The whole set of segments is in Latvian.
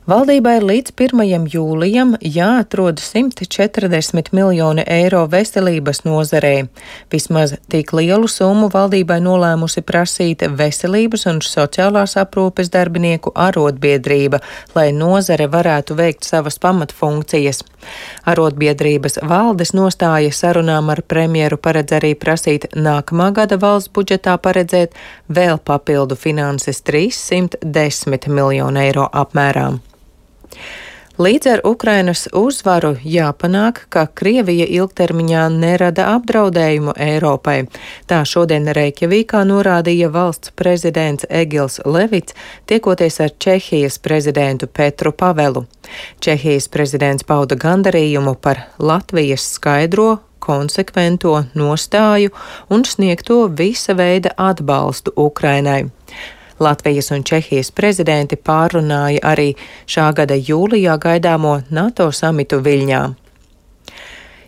Valdībai līdz 1. jūlijam jāatrod 140 miljoni eiro veselības nozarei. Vismaz tik lielu summu valdībai nolēmusi prasīt Veselības un sociālās aprūpes darbinieku arotbiedrība, lai nozare varētu veikt savas pamatfunkcijas. Arotbiedrības valdes nostāja sarunām ar premjeru paredz arī prasīt nākamā gada valsts budžetā paredzēt vēl papildu finanses 310 miljonu eiro apmērā. Līdz ar Ukrainas uzvaru jāpanāk, ka Krievija ilgtermiņā nerada apdraudējumu Eiropai. Tā šodien Reikjavīkā norādīja valsts prezidents Egils Levits, tiekoties ar Čehijas prezidentu Petru Pavelu. Čehijas prezidents pauda gandarījumu par Latvijas skaidro, konsekvento nostāju un sniegto visa veida atbalstu Ukrainai. Latvijas un Čehijas prezidenti pārrunāja arī šā gada jūlijā gaidāmo NATO samitu Viļņā.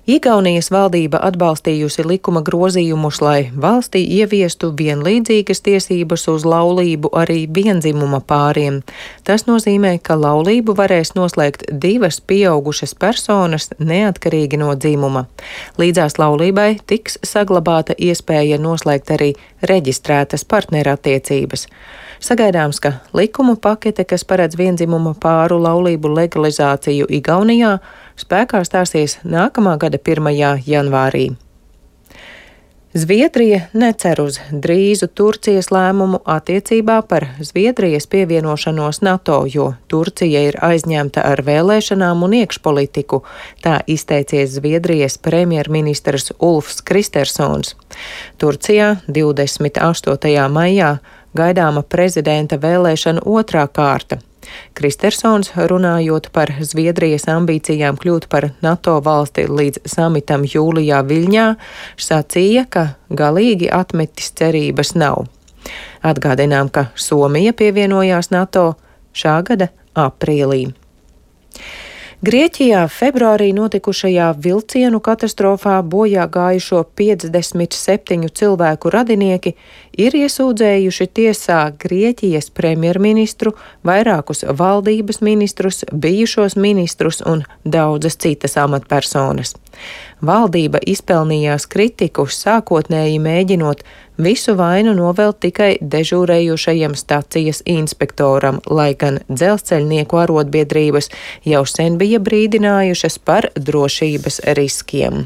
Igaunijas valdība atbalstījusi likuma grozījumus, lai valstī ieviestu vienlīdzīgas tiesības uz laulību arī vienzimuma pāriem. Tas nozīmē, ka laulību varēs noslēgt divas pieaugušas personas neatkarīgi no dzimuma. Līdzās laulībai tiks saglabāta iespēja noslēgt arī reģistrētas partnerattiecības. Sagaidāms, ka likumu pakete, kas paredz vienzimuma pāru laulību legalizāciju Igaunijā, spēkā stāsies nākamā gada 1. janvārī. Zviedrija necer uz drīzu Turcijas lēmumu attiecībā par Zviedrijas pievienošanos NATO, jo Turcija ir aizņemta ar vēlēšanām un iekšpolitiku, tā izteicies Zviedrijas premjerministrs Ulfs Kristersons. Turcijā 28. maijā gaidāma prezidenta vēlēšana otrā kārta. Kristersons, runājot par Zviedrijas ambīcijām kļūt par NATO valsti līdz samitam jūlijā Viļņā, sacīja, ka galīgi atmetis cerības nav. Atgādinām, ka Somija pievienojās NATO šā gada aprīlī. Grieķijā februārī notikušajā vilcienu katastrofā bojā gājušo 57 cilvēku radinieki ir iesūdzējuši tiesā Grieķijas premjerministru, vairākus valdības ministrus, bijušos ministrus un daudzas citas amatpersonas. Valdība izpelnījās kritiku, sākotnēji mēģinot visu vainu novelt tikai dežūrējušajam stacijas inspektoram, lai gan dzelzceļnieku arotbiedrības jau sen bija brīdinājušas par drošības riskiem.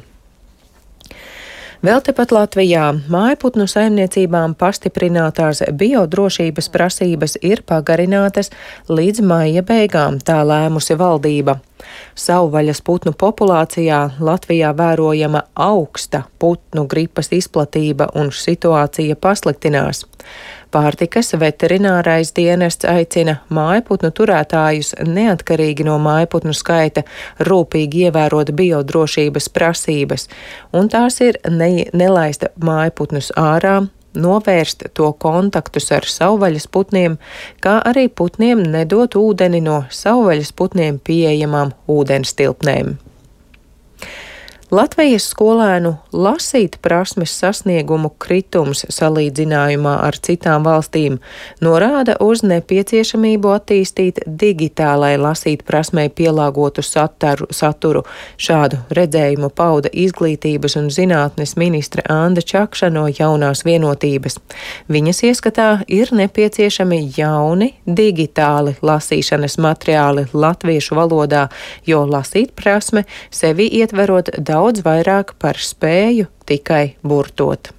Vēl tepat Latvijā mājputnu saimniecībām pastiprinātās biodrošības prasības ir pagarinātas līdz maija beigām, tā lēmusi valdība. Savvaļas putnu populācijā Latvijā vērojama augsta putnu gripas izplatība un situācija pasliktinās. Pārtikas veterinārais dienests aicina mājputnu turētājus neatkarīgi no mājputnu skaita rūpīgi ievērot biodrošības prasības, un tās ir nelaist mājputnus ārā, novērst to kontaktus ar savvaļas putniem, kā arī putniem nedot ūdeni no savvaļas putniem pieejamām ūdenstilpnēm. Latvijas skolēnu lasīt prasmes sasniegumu kritums salīdzinājumā ar citām valstīm norāda uz nepieciešamību attīstīt digitālai lasīt prasmei pielāgotu saturu. Šādu redzējumu pauda Izglītības un zinātnes ministre Anda Čakša no Jaunās vienotības. Viņas ieskatā ir nepieciešami jauni digitāli lasīšanas materiāli latviešu valodā, jo lasīt prasme sevi ietverot daudz vairāk par spēju tikai burtot.